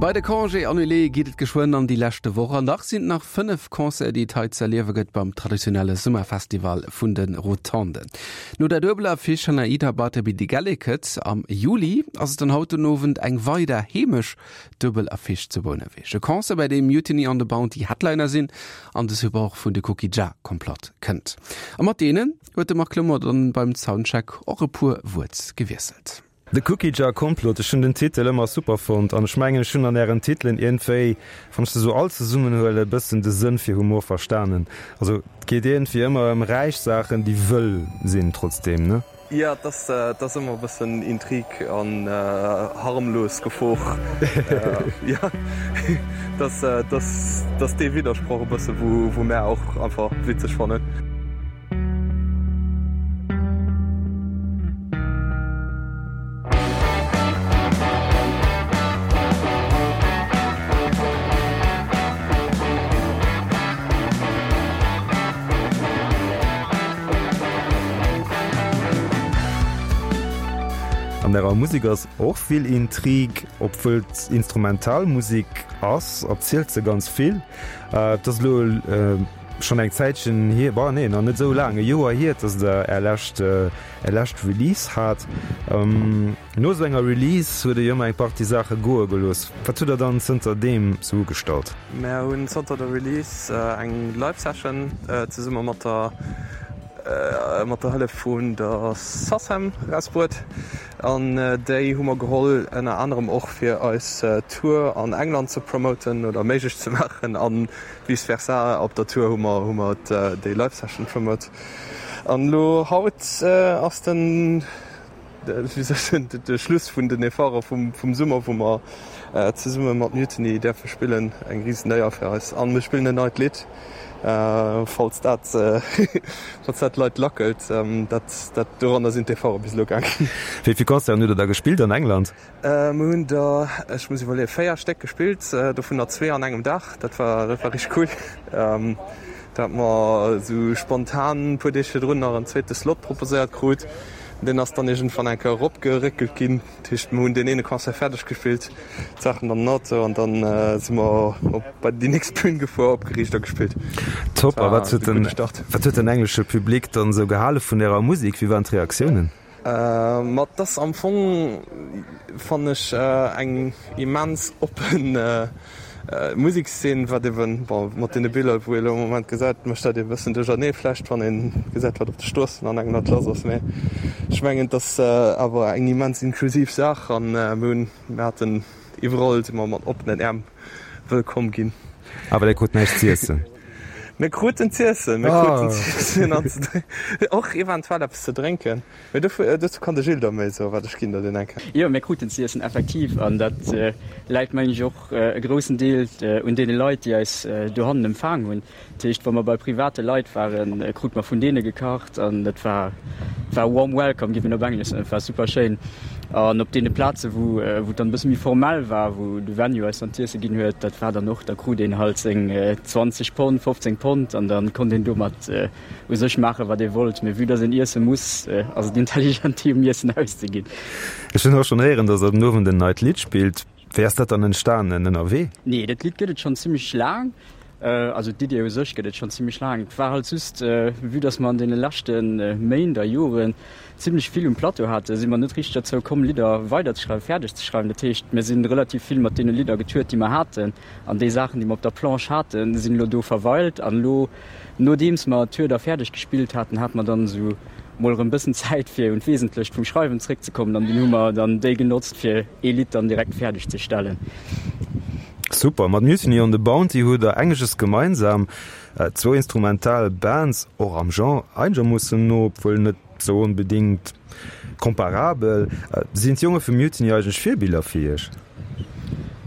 Bei de Congés annulés geet et geschwënn an déi leschte Woch an dach sinn et nach 5 Concerten, déi et hei ze erliewe gëtt beim traditionelle Summerfestival vun de Rotonden. No der duebeler Affiche Hanaida Bartleby de Gelliket am Juli ass et dann haut den Owend eng weider heemesch duebel Affiche zu Bouneweg. E Concert, bei deem Mutiny on the Bounty Headliner sinn an de Support vun de Cookie Jar Complot kënnt. A mat deenen huet de Marc Clement dann beim Soundcheck och e puer Wuert gewiesselt. The Cookie Jar Complot, ech hunn den Titel ëmmer super fonnt an ech mengen ech hunn an ären Titelen iergendwéi, wann ech se sou all zesummen huelen, e bëssen de Sënn fir Humor verstanen. Also et geet iergendwéi ëmmer ëm räich Saachen, déi wëll sinn trotzdeem, ne? Jo, et ass, et ass ëmmer e bëssen Intrig an harmlos Gefor. Jo, et ass, et ass, et ass dee Widdersproch e bësse wou, wou mär och einfach witzeg fannen. An ärer Musek ass och vill Intrig, obwuel et Instrumentalmusek ass, erzielt se ganz vill. Et ass elo Schonn eng Zäitchen hier, bon nee, nach net esou laang, e Joer hier, dass der är lescht, är lescht Release hat. No esou enger Release huet der jo ëmmer eng Partie Saache goe gelooss. Wat hutt der dann zënter deem sou ugestallt? Mär hunn zanter der Release eng Live Session zesumme mat der mat der Hëllef vun der SACEM erausbruet an déi hu mer geholl ënner anerem och fir eis Tour an England ze promoten oder méiglech ze maachen an Vice versa, op der Tour hu mer hu mer déi Live Session promote. An elo haut ass den, wéi soll ech soen, de Schluss vun den Efforte vum vum Summer, wou mer zesumme mat Mutiny däerfe spillen. Eng risen Éier fir eis. An mir spillen en neit Lidd, falls dat falls dat d'Leit lackelt. Dat dat doranner sinn d'Efforte bis elo gaangen. Wéi vill Concerten hutt der da gespillt an England? Mir hunn der, ech muss iwwerleeën, 4 Stéck gespillt, dovunner zwee an engem Dag. Dat war, dat war richteg cool. Do hat mer esou spontan e puer Deeg virdrun nach en zweete Slot proposéiert krut. Deen ass dann iergendwann eng Kéier eropgeréckelt ginn. Dat heescht, mir hunn deen eene Concert fäerdeg gespillt, d'Saachen dann an den Auto an dann si mer op bei déi nächst Bühn gefuer, opgeriicht a gespillt. Top. A wat huet den, wat huet den englesche Public dann esou gehale vun ärer Musek? Wéi waren d'Reaktiounen? Ma et ass am Fong, fannen ech, eng immens oppen Musekszeen, wat eben, bon, mat deene Biller, wou ee lo am Moment gesäit, mécht dat ee bëssen duerchernee vläicht, wann ee gesäit, wat op de Stroossen an England lass ass. Mee ech mengen, et ass awer eng immens inklusiv Saach an mir hunn, mir haten iwwerall si mer mat oppenen Äerm wëllkomm ginn. Awer dir krut näischt z'iessen? Mir kruten z'iessen, mir kruten z'iessen an ze drénken, och eventuell eppes ze drénken. Mee dozou kann de Gilles der méi soen, wat ech ginn der deen eng Kéier. Jo, mir kruten z'iessen, effektiv. An dat läit, mengen ech, och e groussen Deel un deene Leit, déi eis dohannen empfaang hunn. Dat heescht, wa mer bei private Leit waren, krute mer vun deene gekacht an et war war warm welcome, géif een op Englesch soen. Et war super schéin. An op deene Plaze wou wou et dann e bësse méi formell war, wou de Venue eis dann z'iesse ginn huet, dat war dann och, da krut een halt seng 20 Pond, 15 Pond an da konnt een domat u sech maachen, wat ee wollt. Mee vue dass een iesse muss, ass et intelligent, déi um Iessen auszeginn. Ech hunn och schonn héieren, dass der den Owend en neit Lidd spillt. Wéi ass dat dann entstanen? Ënnerwee? Nee, dat Lidd gëtt et schonn zimmlech laang. Also d'Idee u sech gëtt et schonn zimmlech laang. Et war halt just, vue dass mer an deene leschte Méint a Joren zimmlech vill um Plateau haten, si mer net richteg derzou komm, Lidder weiderzeschreiwen, fäerdeg ze schreiwen. Dat heescht, mir si relativ vill mat deene Lidder getourt, déi mer haten. An déi Saachen, déi mer op der Planche haten, sinn elo do verweilt. An elo, nodeems mer d'Tour da fäerdeg gespillt haten, hate mer dann esou mol erëm bëssen Zäit, fir un d'Wesentlecht vum Schreiwen zréckzekommen. An dunn hu mer dann déi genotzt, fir ee Lidd dann direkt fäerdeg ze stellen. Super! Mat Mutiny on the Bounty hutt der engeges gemeinsam, zwou instrumental Bands, och am Genre einegermoossen no, obwuel net sou onbedingt comparabel. Sinn d'Jonge vu Mutiny eigentlech Virbiller fir iech?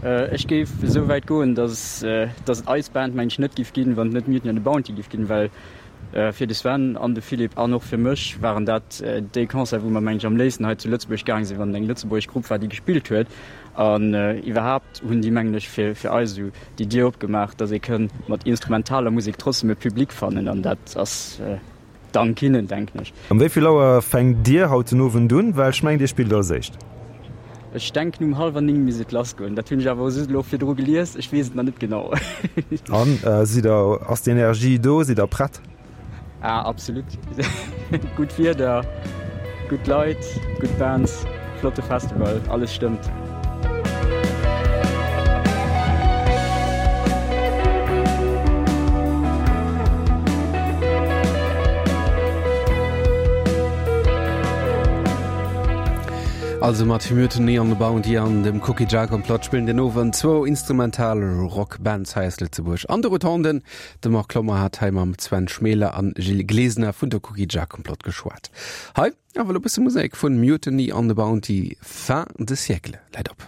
Ech géif esou wäit goen, dass dass et eis Band mengen ech net giff ginn, wann et net Mutiny on the Bounty giff ginn, well fir de Sven an de Philippe an och fir mech waren dat déi Concerten, wou mer mengen ech am léifsten hei zu Lëtzebuerg gaang sinn, wann et eng lëtzebuergesch Grupp war, déi gespillt huet. An iwwerhaapt hunn déi mengen ech fir fir eis esou déi Dier opgemaach, dass ee kënn mat instrumentaler Musek trotzdem e Public fannen an dat ass Dank hinnen, denken ech. Um wéi vill Auer fänkt Dir haut den Owend un? Well ech mengen Dir spillt als éischt. Ech denken um hallwer 9 misst et lass goen. Dat hunn ech awer just elo virdru gelies, ech weess et nach net genau. An sidd der, ass d'Energie do, sidd der prett? Ah absolut. Gutt Wieder, gutt Leit, gutt Bands, flotte Festival, alles stëmmt. Also mat Mutiny on the Bounty an dem Cookie Jar Komplott spillen den Owend zwou instrumental Rockbands hei aus Lëtzebuerg an de Rotonden. De Marc Clommer hat hei mam Sven Schmeler an Gilles Glesener vun der Cookie Jar Komplott geschwat. Hei awer elo bësse Musek vun Mutiny on the Bounty, Fin de siècle läit op.